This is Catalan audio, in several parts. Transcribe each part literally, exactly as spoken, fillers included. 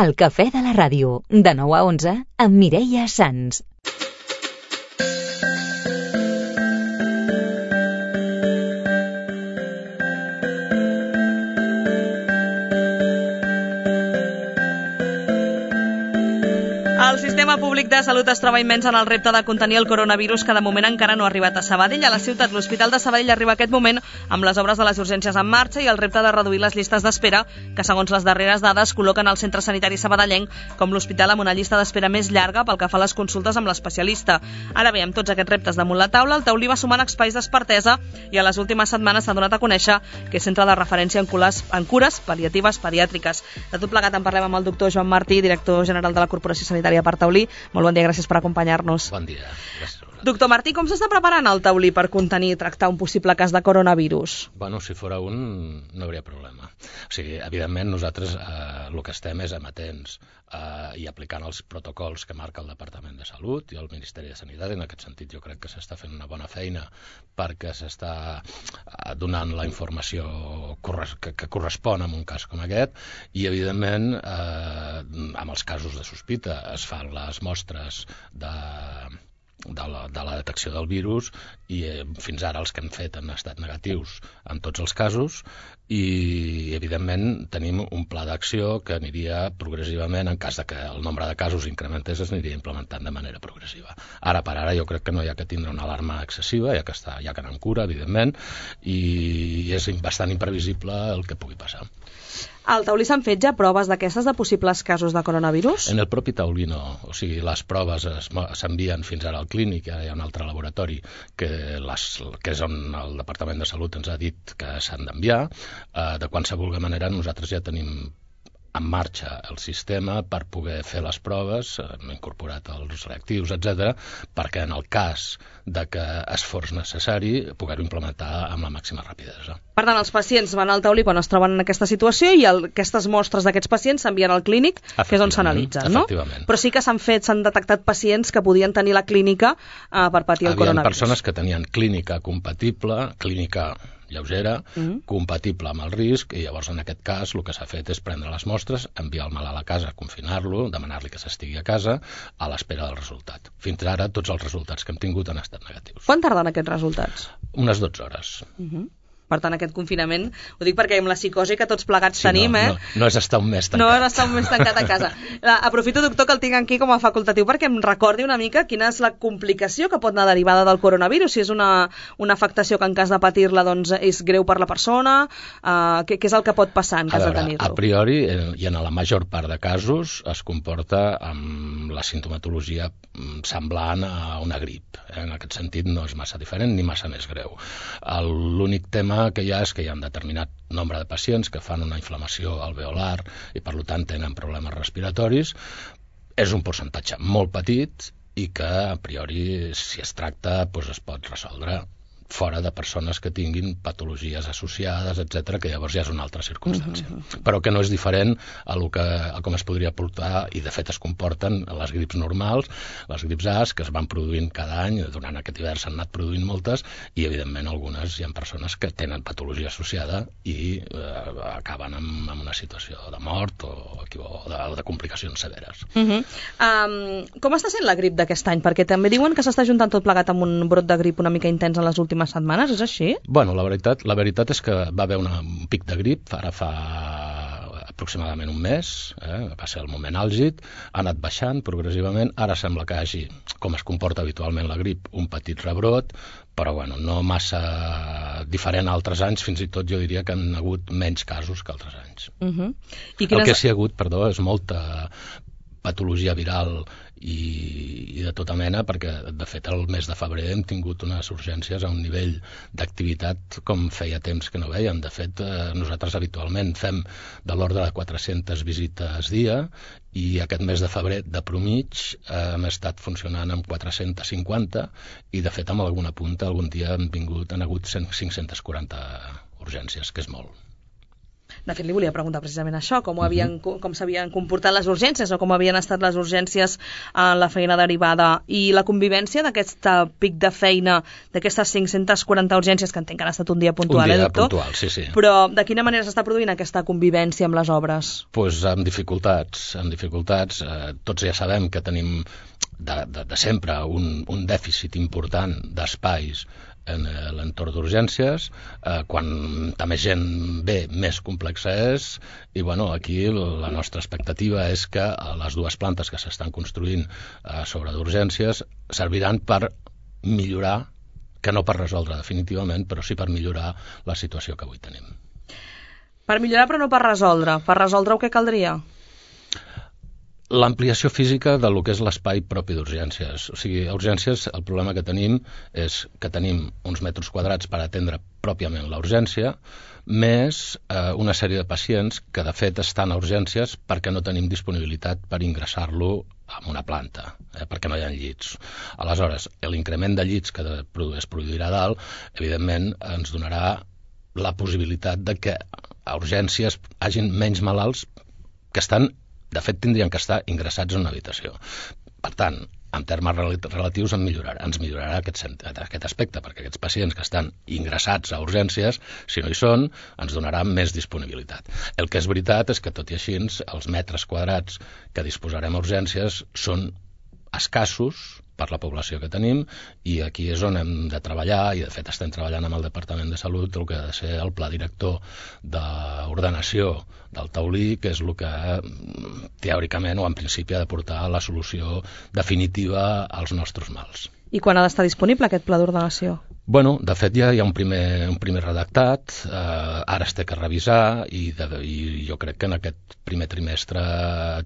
El cafè de la ràdio, de nou a onze, amb Mireia Sans. El sistema públic de salut es troba immens en el repte de contenir el coronavirus, que de moment encara no ha arribat a Sabadell. A la ciutat, l'Hospital de Sabadell arriba aquest moment amb les obres de les urgències en marxa i el repte de reduir les llistes d'espera, que segons les darreres dades col·loquen el centre sanitari sabadellenc com l'hospital amb una llista d'espera més llarga pel que fa a les consultes amb l'especialista. Ara bé, amb tots aquests reptes damunt la taula, el taulí va sumant espais d'expertesa i a les últimes setmanes s'ha donat a conèixer que és centre de referència en cures, en cures pal·liatives pediàtriques. De tot plegat en parlem amb el doctor Joan Martí, director general de la Corporació Sanitària per Taulí. Molt bon dia, gràcies per acompanyar-nos. Bon dia. Gràcies. Doctor Martí, com s'està preparant el taulí per contenir i tractar un possible cas de coronavirus? Bueno, si fora un, no hauria problema. O sigui, evidentment, nosaltres eh, el que estem és amatents eh, i aplicant els protocols que marca el Departament de Salut i el Ministeri de Sanitat. En aquest sentit, jo crec que s'està fent una bona feina perquè s'està donant la informació que, que correspon en un cas com aquest i, evidentment, eh, amb els casos de sospita es fan les mostres de... De la, de la detecció del virus i eh, fins ara els que hem fet han estat negatius en tots els casos i evidentment tenim un pla d'acció que aniria progressivament, en cas de que el nombre de casos incrementés, es aniria implementant de manera progressiva. Ara per ara jo crec que no hi ha que tindre una alarma excessiva, ja que està, ja que anem cura, evidentment, i és bastant imprevisible el que pugui passar. Al taulí s'han fet ja proves d'aquestes de possibles casos de coronavirus? En el propi taulí no. O sigui, les proves s'envien fins ara al clínic, ara hi ha un altre laboratori que, les, que és on el Departament de Salut ens ha dit que s'han d'enviar. Eh, de qualsevol manera, nosaltres ja tenim en marxa el sistema per poder fer les proves, hem incorporat els reactius, etcètera, perquè en el cas de que es fos necessari poder-ho implementar amb la màxima rapidesa. Per tant, els pacients van al taulí quan es troben en aquesta situació i el, aquestes mostres d'aquests pacients s'envien al clínic, que és on s'analitzen, no? Però sí que s'han fet, s'han detectat pacients que podien tenir la clínica eh, per patir el coronavirus. Hi havia persones que tenien clínica compatible, clínica lleugera, mm-hmm. compatible amb el risc, i llavors en aquest cas el que s'ha fet és prendre les mostres, enviar el malalt a casa, confinar-lo, demanar-li que s'estigui a casa a l'espera del resultat. Fins ara tots els resultats que hem tingut han estat negatius. Quan tarden aquests resultats? Unes dotze hores. Mm-hmm. Per tant, aquest confinament, ho dic perquè amb la psicosi que tots plegats sí, tenim, no, eh? No, no és estar un mes tancat. No és estar un mes tancat a casa. La, aprofito, doctor, que el tinc aquí com a facultatiu perquè em recordi una mica quina és la complicació que pot anar derivada del coronavirus, si és una, una afectació que en cas de patir-la doncs, és greu per la persona, uh, què, què és el que pot passar en cas a veure, de tenir-lo? A priori, i en la major part de casos, es comporta amb la sintomatologia semblant a una grip. En aquest sentit no és massa diferent ni massa més greu. L'únic tema que hi ha és que hi ha un determinat nombre de pacients que fan una inflamació alveolar i per tant tenen problemes respiratoris. És un percentatge molt petit i que a priori si es tracta doncs es pot resoldre fora de persones que tinguin patologies associades, etcètera, que llavors ja és una altra circumstància. Mm-hmm. Però que no és diferent a, lo que, a com es podria portar, i de fet es comporten les grips normals, les grips A que es van produint cada any, durant aquest hivern s'han anat produint moltes, i evidentment algunes hi ha persones que tenen patologia associada i eh, acaben amb, amb una situació de mort o, o, de, o de complicacions severes. Mm-hmm. um, com està sent la grip d'aquest any? Perquè també diuen que s'està juntant tot plegat amb un brot de grip una mica intens en les últimes setmanes, és així? Bueno, la veritat, la veritat és que va haver una, un pic de grip, ara fa aproximadament un mes, eh, va ser el moment àlgid, ha anat baixant progressivament, ara sembla que hagi, com es comporta habitualment la grip, un petit rebrot, però bueno, no massa diferent a altres anys, fins i tot jo diria que han hagut menys casos que altres anys. Uh-huh. I quines... El que s'hi ha hagut, perdó, és molta patologia viral i, i de tota mena, perquè de fet el mes de febrer hem tingut unes urgències a un nivell d'activitat com feia temps que no veiem. De fet, eh, nosaltres habitualment fem de l'ordre de quatre-centes visites dia i aquest mes de febrer de promig eh, hem estat funcionant amb quatre-centes cinquanta i de fet amb alguna punta algun dia han vingut, han hagut cinc-centes quaranta urgències, que és molt. De fet, li volia preguntar precisament això, com, havien, com s'havien comportat les urgències o com havien estat les urgències en la feina derivada i la convivència d'aquest pic de feina, d'aquestes cinc-centes quaranta urgències, que entenc que han estat un dia puntual, un dia eh, doctor? puntual, sí, sí. Però de quina manera s'està produint aquesta convivència amb les obres? Pues amb dificultats, amb dificultats. Eh, tots ja sabem que tenim de, de, de sempre un, un dèficit important d'espais en l'entorn d'urgències, eh, quan també gent ve, més complexa és, i bueno, aquí la nostra expectativa és que les dues plantes que s'estan construint eh, sobre d'urgències serviran per millorar, que no per resoldre definitivament, però sí per millorar la situació que avui tenim. Per millorar però no per resoldre. Per resoldre-ho què caldria? L'ampliació física del que és l'espai propi d'urgències. O sigui, a urgències el problema que tenim és que tenim uns metres quadrats per atendre pròpiament la urgència, més eh, una sèrie de pacients que de fet estan a urgències perquè no tenim disponibilitat per ingressar-lo en una planta, eh, perquè no hi ha llits. Aleshores, l'increment de llits que es produirà a dalt, evidentment ens donarà la possibilitat de que a urgències hagin menys malalts que estan, de fet tindrien que estar ingressats en una habitació. Per tant, en termes relatius en millorarà, ens millorarà aquest, aquest aspecte, perquè aquests pacients que estan ingressats a urgències, si no hi són, ens donarà més disponibilitat. El que és veritat és que, tot i així, els metres quadrats que disposarem a urgències són escassos per la població que tenim, i aquí és on hem de treballar, i de fet estem treballant amb el Departament de Salut el que ha de ser el pla director d'ordenació del taulí, que és el que teòricament o en principi ha de portar la solució definitiva als nostres mals. I quan ha d'estar disponible aquest pla d'ordenació? Bueno, de fet ja hi ha un primer, un primer redactat, eh, ara es té que revisar, i, de, i jo crec que en aquest primer trimestre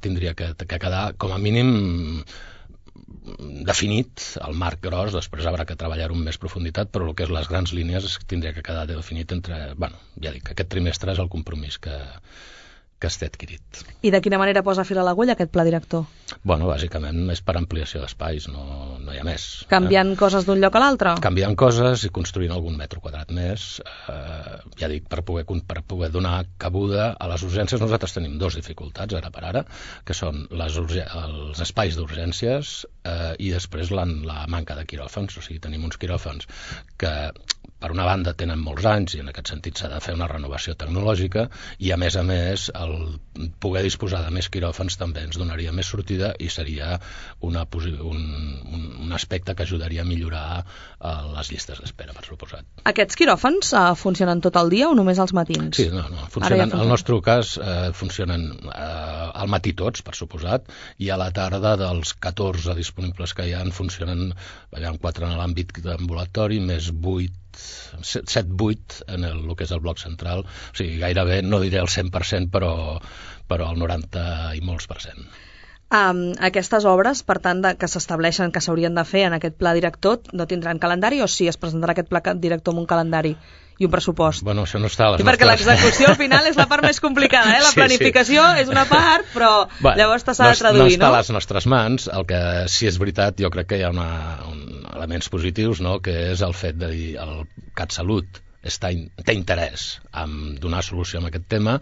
tindria que, que quedar com a mínim definit el marc gros. Després haurà que treballar-ho amb més profunditat, però el que és les grans línies tindria que quedar definit entre... Bueno, ja dic, aquest trimestre és el compromís que, que està adquirit. I de quina manera posa fil a l'agulla aquest pla director? Bueno, bàsicament és per ampliació d'espais, no, no hi ha més. Canviant eh? coses d'un lloc a l'altre? Canviant coses i construint algun metro quadrat més. Eh, ja dic, per poder, per poder donar cabuda a les urgències. Nosaltres tenim dos dificultats, ara per ara, que són les els espais d'urgències eh, i després la, la manca de quiròfans. O sigui, tenim uns quiròfans que, per una banda, tenen molts anys i en aquest sentit s'ha de fer una renovació tecnològica, i a més a més el poder disposar de més quiròfans també ens donaria més sortida i seria una, un, un, un aspecte que ajudaria a millorar uh, les llistes d'espera, per suposat. Aquests quiròfans uh, funcionen tot el dia o només als matins? Sí, no, no, funcionen, ja al nostre cas uh, funcionen uh, al matí tots, per suposat, i a la tarda dels catorze disponibles que hi ha funcionen, hi ha quatre en l'àmbit d'ambulatori, més vuit set vuit en el, el que és el bloc central, o sigui, gairebé, no diré el cent per cent, però, però el noranta i molts per cent. Um, aquestes obres, per tant, de, que s'estableixen, que s'haurien de fer en aquest pla director, no tindran calendari, o sí, es presentarà aquest pla director amb un calendari i un pressupost? Bueno, això no està a les I nostres... perquè l'execució al final és la part més complicada, eh? La sí, planificació sí. és una part, però bueno, llavors s'ha de traduir, no? No està a les nostres mans. El que sí és veritat, jo crec que hi ha una, un, elements positius, no?, que és el fet de dir el CatSalut està, té interès en donar solució a aquest tema,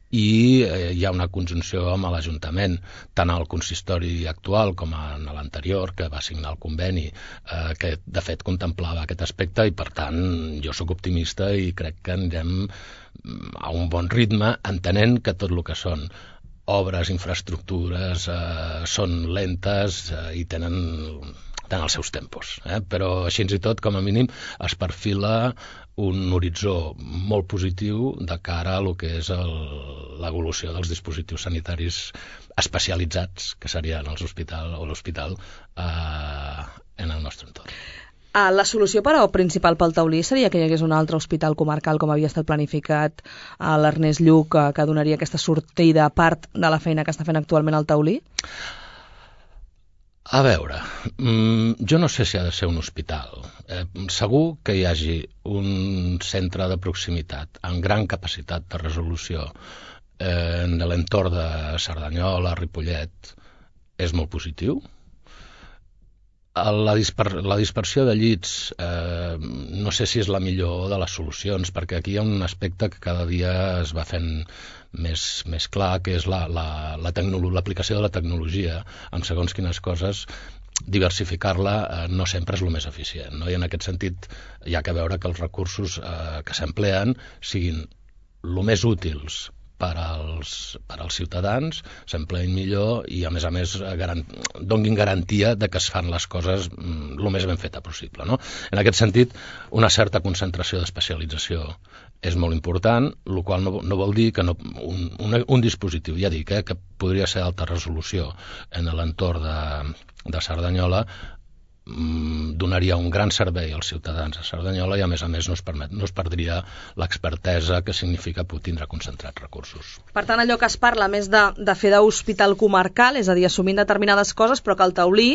i eh, hi ha una conjunció amb l'Ajuntament, tant al consistori actual com en l'anterior, que va signar el conveni, eh, que de fet contemplava aquest aspecte, i per tant jo sóc optimista i crec que anirem a un bon ritme, entenent que tot el que són obres, infraestructures, eh, són lentes eh, i tenen... tenen els seus tempos, eh? Però així i tot, com a mínim, es perfila un horitzó molt positiu de cara a lo que és l'evolució dels dispositius sanitaris especialitzats, que serien els hospital o l'hospital eh, en el nostre entorn. La solució però principal pel taulí seria que hi hagués un altre hospital comarcal, com havia estat planificat a l'Ernest Lluch, que donaria aquesta sortida a part de la feina que està fent actualment el taulí? A veure, jo no sé si ha de ser un hospital. Eh, segur que hi hagi un centre de proximitat amb gran capacitat de resolució eh, en l'entorn de Cerdanyola, Ripollet, és molt positiu. La, disper la dispersió de llits eh, no sé si és la millor de les solucions, perquè aquí hi ha un aspecte que cada dia es va fent més, més clar, que és l'aplicació la, la, la de la tecnologia en segons quines coses. Diversificar-la eh, no sempre és el més eficient, no? I en aquest sentit hi ha que veure que els recursos eh, que s'empleen siguin el més útils per als, per als ciutadans, s'empleïn millor i, a més a més, garan donguin garantia de que es fan les coses el més ben feta possible, no? En aquest sentit, una certa concentració d'especialització és molt important, el qual no, no vol dir que no, un, un, un dispositiu, ja dic, eh, que podria ser d'alta resolució en l'entorn de, de Cerdanyola, donaria un gran servei als ciutadans de Cerdanyola i, a més a més, no es, permet, no es perdria l'expertesa que significa tindre concentrats recursos. Per tant, allò que es parla més de, de fer d'hospital comarcal, és a dir, assumint determinades coses, però que el taulí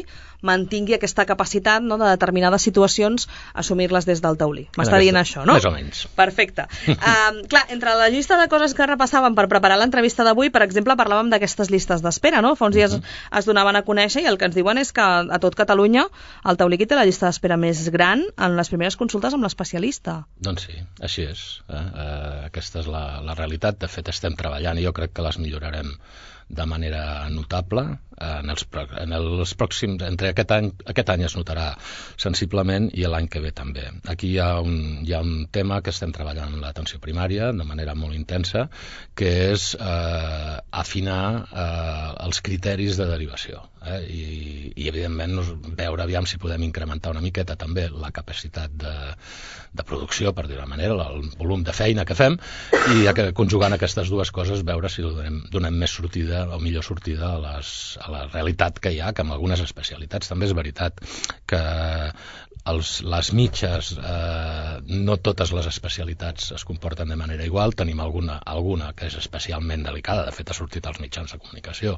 mantingui aquesta capacitat, no, de determinades situacions, assumir-les des del taulí. M'està dient això, no? Més o menys. Perfecte. um, clar, entre la llista de coses que repassàvem per preparar l'entrevista d'avui, per exemple, parlàvem d'aquestes llistes d'espera, no? Fa uns dies uh -huh. es donaven a conèixer i el que ens diuen és que a tot Catalunya el taulí té la llista d'espera més gran en les primeres consultes amb l'especialista. Doncs sí, així és. Eh? Eh, aquesta és la, la realitat. De fet, estem treballant i jo crec que les millorarem de manera notable. En els, en els pròxims, entre aquest any, aquest any es notarà sensiblement i l'any que ve també. Aquí hi ha, un, hi ha un tema que estem treballant en l'atenció primària de manera molt intensa, que és eh, afinar eh, els criteris de derivació. Eh? I, i evidentment veure aviam si podem incrementar una miqueta també la capacitat de, de producció, per dir-ho d'una manera, el volum de feina que fem, i conjugant aquestes dues coses veure si donem, donem més sortida o millor sortida a, les, a la realitat que hi ha, que amb algunes especialitats també és veritat que els, les mitges, eh, no totes les especialitats es comporten de manera igual. Tenim alguna, alguna que és especialment delicada, de fet ha sortit als mitjans de comunicació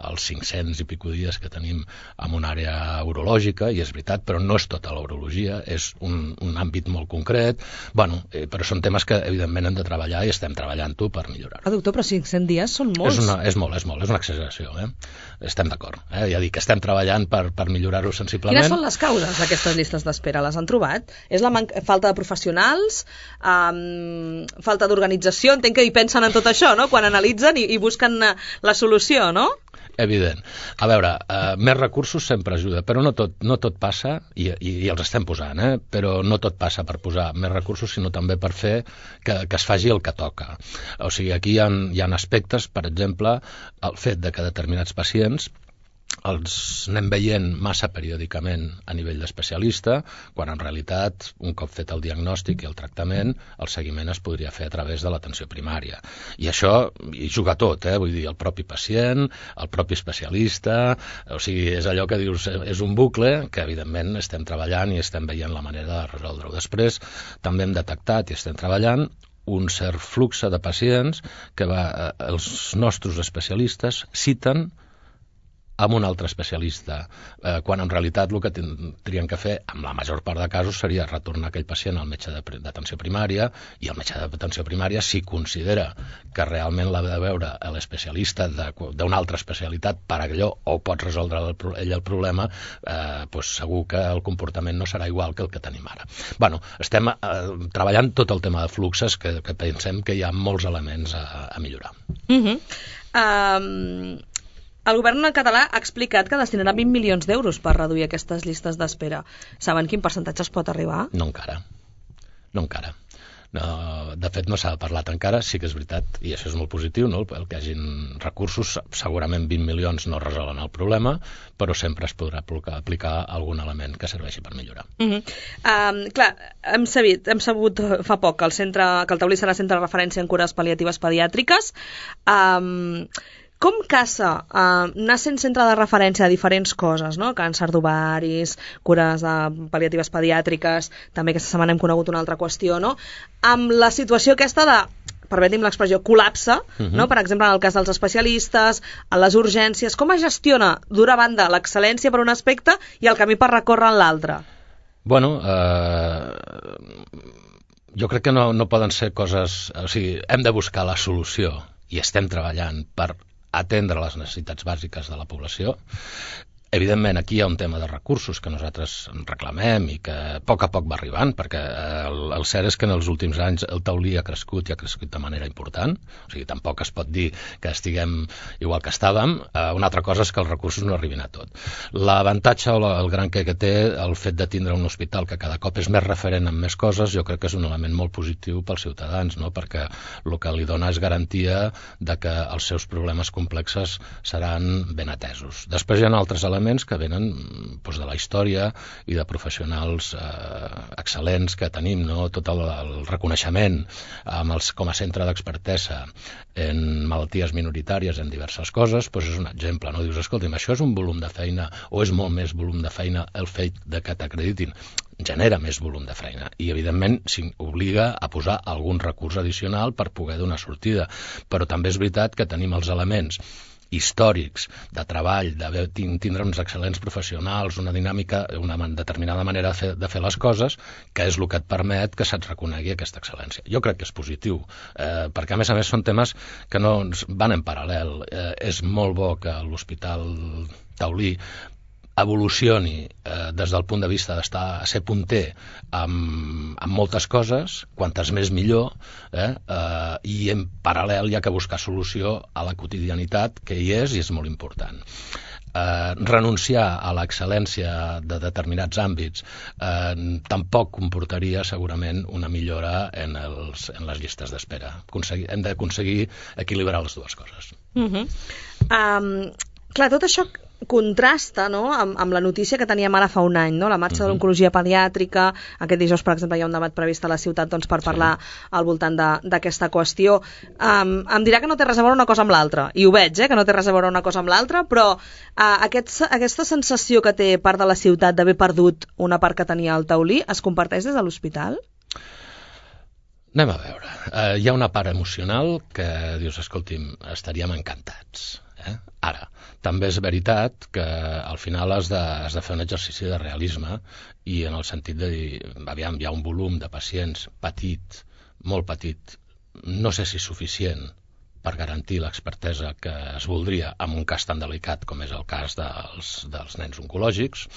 els cinc-cents i pico dies que tenim en una àrea urològica, i és veritat, però no és tota l'urologia, és un, un àmbit molt concret. Bueno, eh, però són temes que evidentment hem de treballar i estem treballant-ho per millorar. Ah, doctor, però cinc-cents dies són molts. És, una, és molt, és molt, és una exageració, eh? Estem d'acord, eh? Ja dic que estem treballant per, per millorar-ho sensiblement. Quines són les causes d'aquestes llistes d'espera? Les han trobat? És la falta de professionals? Um, falta d'organització? Entenc que hi pensen en tot això, no? Quan analitzen i, i busquen la solució, no? Evident. A veure, eh, més recursos sempre ajuda, però no tot, no tot passa, i, i, i els estem posant, eh? Però no tot passa per posar més recursos, sinó també per fer que, que es faci el que toca. O sigui, aquí hi ha, hi ha aspectes, per exemple, el fet de que determinats pacients els anem veient massa periòdicament a nivell d'especialista, quan en realitat, un cop fet el diagnòstic i el tractament, el seguiment es podria fer a través de l'atenció primària. I això hi juga tot, eh? Vull dir, el propi pacient, el propi especialista, o sigui, és allò que dius, és un bucle que evidentment estem treballant i estem veient la manera de resoldre-ho. Després també hem detectat i estem treballant un cert flux de pacients que va, els nostres especialistes citen amb un altre especialista, eh, quan en realitat el que tindrien que fer, amb la major part de casos, seria retornar aquell pacient al metge d'atenció primària, i el metge d'atenció primària, si considera que realment l'ha de veure l'especialista d'una altra especialitat per allò, o pot resoldre ell el problema, eh, doncs segur que el comportament no serà igual que el que tenim ara. Bueno, estem eh, treballant tot el tema de fluxes, que, que pensem que hi ha molts elements a, a millorar. Mhm. Um... El govern català ha explicat que destinarà vint milions d'euros per reduir aquestes llistes d'espera. Saben quin percentatge es pot arribar? No encara. No encara. No, de fet, no s'ha parlat encara. Sí que és veritat, i això és molt positiu, no? El que hi hagin recursos, segurament vint milions no resolen el problema, però sempre es podrà aplicar algun element que serveixi per millorar. Uh -huh. um, clar, hem sabut, hem sabut fa poc que el, centre, que el taulí serà centre de referència en cures pal·liatives pediàtriques. Um, Com caça uh, anar sent centre de referència a diferents coses, no? Càncer d'ovaris, cures uh, pal·liatives pediàtriques, també aquesta setmana hem conegut una altra qüestió, no? Amb la situació aquesta de, permetim l'expressió, col·lapse, uh-huh. no? Per exemple, en el cas dels especialistes, en les urgències, com es gestiona d'una banda l'excel·lència per un aspecte i el camí per recórrer en l'altre? Bueno, eh... jo crec que no, no poden ser coses... O sigui, hem de buscar la solució i estem treballant per atendre les necessitats bàsiques de la població. Evidentment, aquí hi ha un tema de recursos que nosaltres reclamem i que a poc a poc va arribant, perquè el, el cert és que en els últims anys el taulí ha crescut i ha crescut de manera important, o sigui, tampoc es pot dir que estiguem igual que estàvem. Eh, una altra cosa és que els recursos no arribin a tot. L'avantatge o la, el gran que, que té el fet de tindre un hospital que cada cop és més referent en més coses, jo crec que és un element molt positiu pels ciutadans, no? Perquè el que li dona és garantia de que els seus problemes complexes seran ben atesos. Després hi ha altres elements que venen doncs, de la història i de professionals eh, excel·lents que tenim, no? Tot el, el reconeixement amb els, com a centre d'expertesa en malalties minoritàries en diverses coses, doncs és un exemple, no? Dius, escolta'm, això és un volum de feina o és molt més volum de feina el fet de que t'acreditin? Genera més volum de feina i, evidentment, obliga a posar algun recurs addicional per poder donar sortida. Però també és veritat que tenim els elements històrics, de treball, de tindre uns excel·lents professionals, una dinàmica, una determinada manera de fer, de fer les coses, que és el que et permet que se't reconegui aquesta excel·lència. Jo crec que és positiu, eh, perquè a més a més són temes que no van en paral·lel. Eh, és molt bo que l'Hospital Taulí evolucioni eh, des del punt de vista d'estar a ser punter amb, amb moltes coses, quantes més millor, eh, eh, i en paral·lel hi ha que buscar solució a la quotidianitat, que hi és i és molt important. Eh, renunciar a l'excel·lència de determinats àmbits eh, tampoc comportaria segurament una millora en, els, en les llistes d'espera. Hem d'aconseguir equilibrar les dues coses. Uh-huh. um, clar, tot això contrasta, no?, amb, amb la notícia que teníem ara fa un any, no?, la marxa uh-huh. de l'oncologia pediàtrica. Aquest dijous, per exemple, hi ha un debat previst a la ciutat, doncs, per parlar sí. al voltant d'aquesta qüestió. Um, em dirà que no té res a veure una cosa amb l'altra, i ho veig, eh, que no té res a veure una cosa amb l'altra, però uh, aquest, aquesta sensació que té part de la ciutat d'haver perdut una part que tenia el taulí es comparteix des de l'hospital? Anem a veure. Uh, hi ha una part emocional que dius, escolti'm, estaríem encantats. Eh? Ara, també és veritat que al final has de, has de fer un exercici de realisme i en el sentit de dir, aviam, hi ha un volum de pacients petit, molt petit, no sé si suficient per garantir l'expertesa que es voldria en un cas tan delicat com és el cas dels, dels nens oncològics,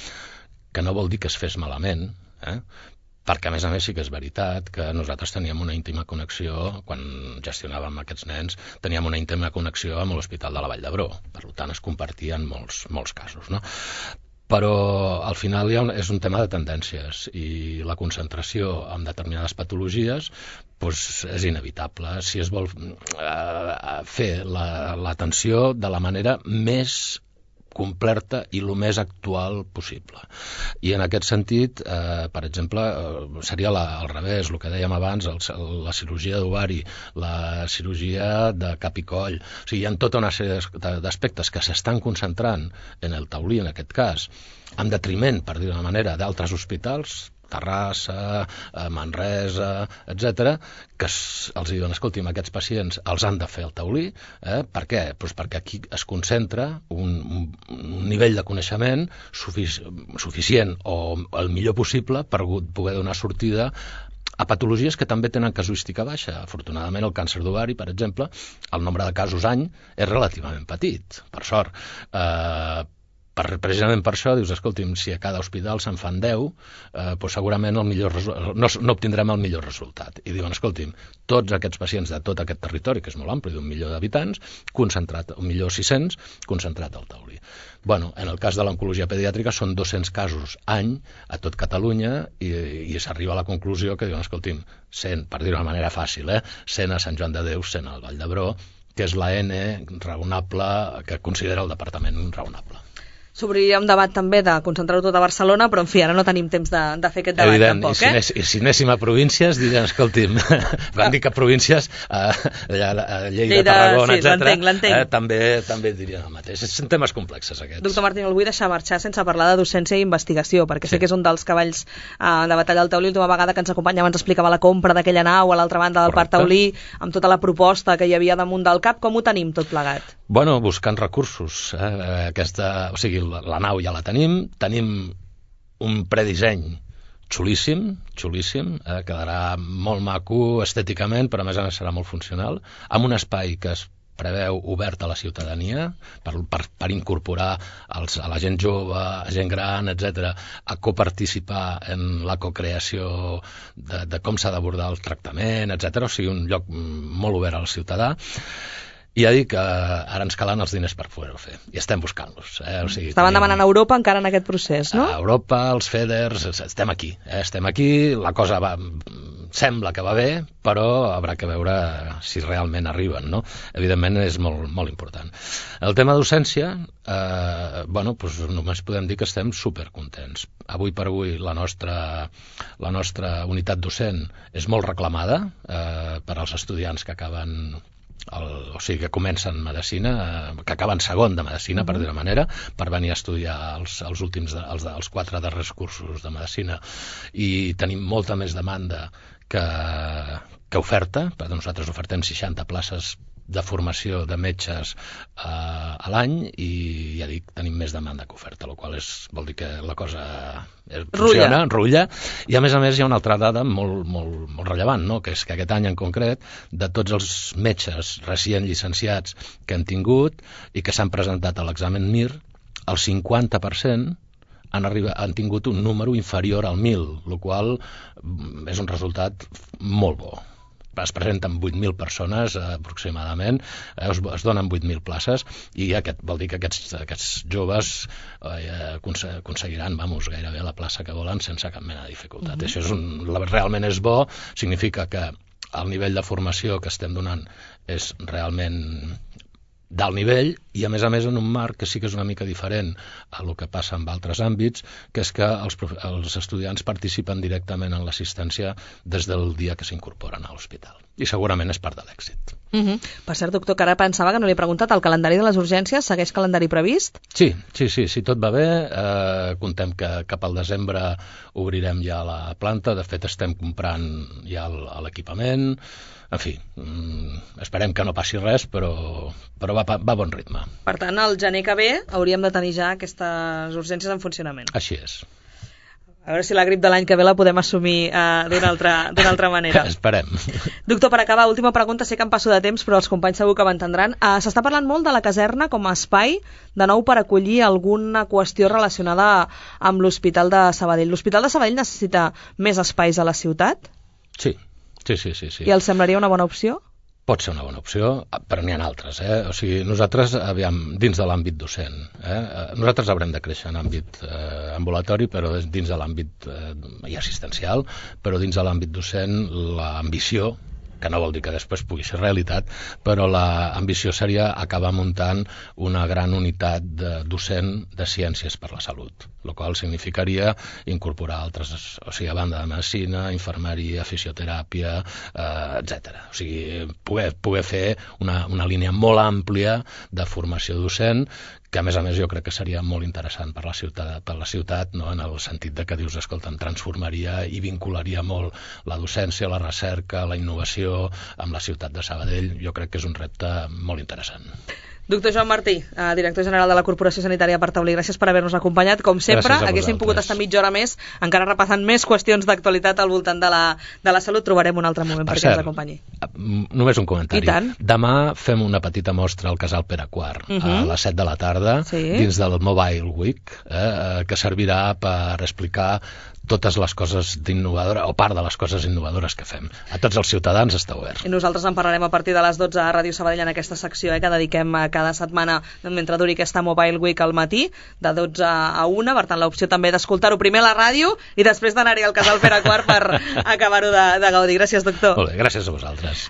que no vol dir que es fes malament, eh? Perquè, a més a més, sí que és veritat que nosaltres teníem una íntima connexió, quan gestionàvem aquests nens, teníem una íntima connexió amb l'Hospital de la Vall d'Hebron. Per tant, es compartien molts, molts casos, no? Però, al final, hi ha un, és un tema de tendències i la concentració en determinades patologies doncs, és inevitable si es vol eh, fer l'atenció la, de la manera més completa i el més actual possible. I en aquest sentit, eh, per exemple, eh, seria la, al revés, el que dèiem abans, el, la cirurgia d'ovari, la cirurgia de cap i coll. O sigui, hi ha tota una sèrie d'aspectes que s'estan concentrant en el taulí, en aquest cas, en detriment, per dir d'una manera, d'altres hospitals, Terrassa, Manresa, etcètera, que els diuen, escolti'm, aquests pacients els han de fer el taulí. Eh? Per què? Pues perquè aquí es concentra un, un nivell de coneixement sufic suficient o el millor possible per poder donar sortida a patologies que també tenen casuística baixa. Afortunadament, el càncer d'ovari, per exemple, el nombre de casos any és relativament petit, per sort. Eh, Per, precisament per això dius, escolti'm, si a cada hospital se'n fan deu, eh, doncs segurament el millor no, no obtindrem el millor resultat. I diuen, escolti'm, tots aquests pacients de tot aquest territori, que és molt ampli, d'un milió d'habitants, concentrat, un milió sis-cents, concentrat al taulí. Bueno, en el cas de l'oncologia pediàtrica són dos-cents casos any a tot Catalunya i, i s'arriba a la conclusió que diuen, escolti'm, cent, per dir-ho d'una manera fàcil, eh, cent a Sant Joan de Déu, cent al Vall d'Hebron, que és la N raonable que considera el departament raonable. S'obriria un debat també de concentrar-ho tot a Barcelona, però en fi, ara no tenim temps de, de fer aquest debat. Evident, tampoc, i si, eh? Anés, i si anéssim a províncies, dirien, escolti'm, van dir que províncies, a, a, a Lleida, Lleida, Tarragona, sí, etcètera, eh, també, també dirien el mateix. Són temes complexes, aquests. Doctor Martín, el vull deixar marxar sense parlar de docència i investigació, perquè sí. sé que és un dels cavalls eh, de batalla del taulí. L'última vegada que ens acompanya abans explicava la compra d'aquella nau a l'altra banda del Correcte. Parc taulí, amb tota la proposta que hi havia damunt del cap. Com ho tenim tot plegat? Bueno, buscant recursos. Eh? Aquesta, o sigui, la, la nau ja la tenim, tenim un predisseny xulíssim, xulíssim, eh? quedarà molt maco estèticament, però a més a més serà molt funcional, amb un espai que es preveu obert a la ciutadania per, per, per incorporar els, a la gent jove, a gent gran, etcètera, a coparticipar en la cocreació de, de com s'ha d'abordar el tractament, etcètera. O sigui, un lloc molt obert al ciutadà. I ja dic que ara ens calen els diners per poder-ho fer, i estem buscant-los. Eh? O sigui, Estaven tenim... demanant a Europa encara en aquest procés, no? A Europa, els FEDERs, estem aquí. Eh? Estem aquí, la cosa va... sembla que va bé, però haurà que veure si realment arriben, no? Evidentment és molt, molt important. El tema docència, eh, bueno, doncs només podem dir que estem supercontents. Avui per avui la nostra, la nostra unitat docent és molt reclamada eh, per als estudiants que acaben... El, o sigui, que comencen medicina, eh, que acaben segon de medicina, per dir-ho manera, per venir a estudiar els, els últims, de, els, els quatre darrers cursos de medicina, i tenim molta més demanda que, que oferta. Per nosaltres ofertem seixanta places de formació de metges eh, a l'any, i ja dic, tenim més demanda que oferta, el qual és, vol dir que la cosa eh, funciona, rutlla. I a més a més hi ha una altra dada molt, molt, molt rellevant, no? Que és que aquest any en concret, de tots els metges recient llicenciats que hem tingut i que s'han presentat a l'examen M I R, el cinquanta per cent han, arribat, han tingut un número inferior al mil, el qual és un resultat molt bo. Es presenten vuit mil persones eh, aproximadament, eh, es, es donen vuit mil places, i aquest vol dir que aquests, aquests joves eh, aconseguiran, vamos, gairebé la plaça que volen sense cap mena de dificultat. Mm-hmm. Això és un, realment és bo, significa que el nivell de formació que estem donant és realment d'alt nivell, i a més a més en un marc que sí que és una mica diferent a el que passa en altres àmbits, que és que els, els estudiants participen directament en l'assistència des del dia que s'incorporen a l'hospital. I segurament és part de l'èxit. Uh-huh. Per cert, doctor, que ara pensava que no li he preguntat, el calendari de les urgències segueix calendari previst? Sí, sí, sí, si tot va bé, eh, contem que cap al desembre obrirem ja la planta. De fet, estem comprant ja l'equipament. En fi, esperem que no passi res, però, però va, va a bon ritme. Per tant, el gener que ve hauríem de tenir ja aquestes urgències en funcionament. Així és. A veure si la grip de l'any que ve la podem assumir uh, d'una altra, d'una altra manera. Esperem. Doctor, per acabar, última pregunta, sé que em passo de temps, però els companys segur que m'entendran. Uh, S'està parlant molt de la caserna com a espai, de nou per acollir alguna qüestió relacionada amb l'Hospital de Sabadell. L'Hospital de Sabadell necessita més espais a la ciutat? Sí. Sí, sí, sí, sí. I els semblaria una bona opció? Pot ser una bona opció, però n'hi ha altres. Eh? O sigui, nosaltres, aviam, dins de l'àmbit docent, eh? nosaltres haurem de créixer en àmbit eh, ambulatori, però dins de l'àmbit eh, i assistencial, però dins de l'àmbit docent l'ambició, que no vol dir que després pugui ser realitat, però l'ambició seria acabar muntant una gran unitat de docent de ciències per la salut, el qual significaria incorporar altres, o sigui, a banda de medicina, infermeria, fisioteràpia, eh, etcètera. O sigui, poder, poder fer una, una línia molt àmplia de formació docent, que a més a més jo crec que seria molt interessant per la ciutat, per la ciutat, no? En el sentit de que dius, escolta, em transformaria i vincularia molt la docència, la recerca, la innovació amb la ciutat de Sabadell. Jo crec que és un repte molt interessant. Doctor Joan Martí, director general de la Corporació Sanitària per Taulí, gràcies per haver-nos acompanyat. Com sempre, haguéssim pogut estar mitja hora més, encara repassant més qüestions d'actualitat al voltant de la, de la salut. Trobarem un altre moment per perquè ens acompanyi. Només un comentari. Demà fem una petita mostra al Casal Pere quart, uh -huh. a les set de la tarda, sí. dins del Mobile Week, eh, que servirà per explicar totes les coses d'innovadora, o part de les coses innovadores que fem. A tots els ciutadans està obert. I nosaltres en parlarem a partir de les dotze a Ràdio Sabadell en aquesta secció eh, que dediquem a cada setmana mentre duri aquesta Mobile Week al matí, de dotze a una, per tant l'opció també d'escoltar-ho primer a la ràdio i després d'anar-hi al Casal Pere quart per acabar-ho de, de gaudir. Gràcies, doctor. Molt bé, gràcies a vosaltres.